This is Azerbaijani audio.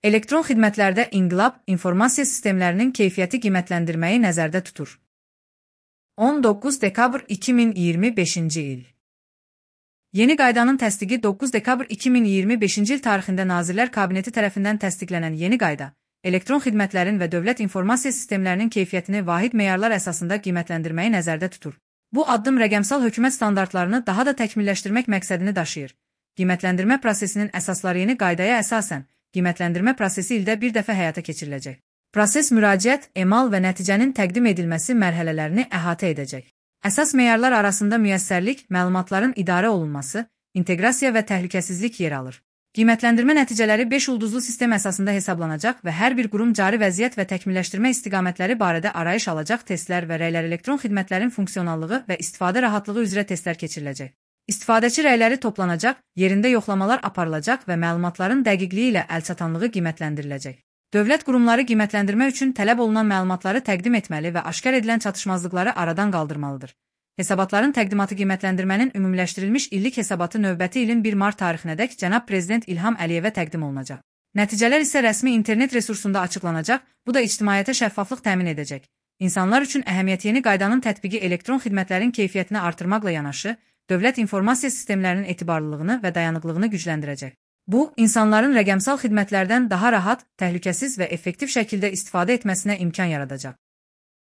Elektron xidmətlərdə inqilab informasiya sistemlərinin keyfiyyəti qiymətləndirməyi nəzərdə tutur. 19 dekabr 2025-ci il. Yeni qaydanın təsdiqi 9 dekabr 2025-ci il tarixində Nazirlər Kabineti tərəfindən təsdiqlənən yeni qayda, elektron xidmətlərin və dövlət informasiya sistemlərinin keyfiyyətini vahid meyarlar əsasında qiymətləndirməyi nəzərdə tutur. Bu addım rəqəmsal hökumət standartlarını daha da təkmilləşdirmək məqsədini daşıyır. Qiymətləndirmə prosesinin əsasları yeni qaydaya əsasən, qiymətləndirmə prosesi ildə bir dəfə həyata keçiriləcək. Proses müraciət, emal və nəticənin təqdim edilməsi mərhələlərini əhatə edəcək. Əsas meyarlar arasında müyəssərlik, məlumatların idarə olunması, inteqrasiya və təhlükəsizlik yer alır. Qiymətləndirmə nəticələri 5 ulduzlu sistem əsasında hesablanacaq və hər bir qurum cari vəziyyət və təkmilləşdirmə istiqamətləri barədə arayış alacaq testlər və rəylər elektron xidmətlərin funksionallığı və istifadə rahatlığı üzrə testlər keçiriləcək. İstifadəçi rəyləri toplanacaq, yerində yoxlamalar aparılacaq və məlumatların dəqiqliyi ilə əlçatanlığı qiymətləndiriləcək. Dövlət qurumları qiymətləndirmə üçün tələb olunan məlumatları təqdim etməli və aşkar edilən çatışmazlıqları aradan qaldırmalıdır. Hesabatların təqdimatı qiymətləndirmənin ümumiləşdirilmiş illik hesabatı növbəti ilin 1 mart tarixinədək cənab Prezident İlham Əliyevə təqdim olunacaq. Nəticələr isə rəsmi internet resursunda açıqlanacaq, bu da ictimaiyyətə şəffaflıq təmin edəcək. İnsanlar üçün əhəmiyyəti yeni qaydanın tətbiqi elektron xidmətlərin keyfiyyətini artırmaqla yanaşı, dövlət informasiya sistemlərinin etibarlılığını və dayanıqlığını gücləndirəcək. Bu, insanların rəqəmsal xidmətlərdən daha rahat, təhlükəsiz və effektiv şəkildə istifadə etməsinə imkan yaradacaq.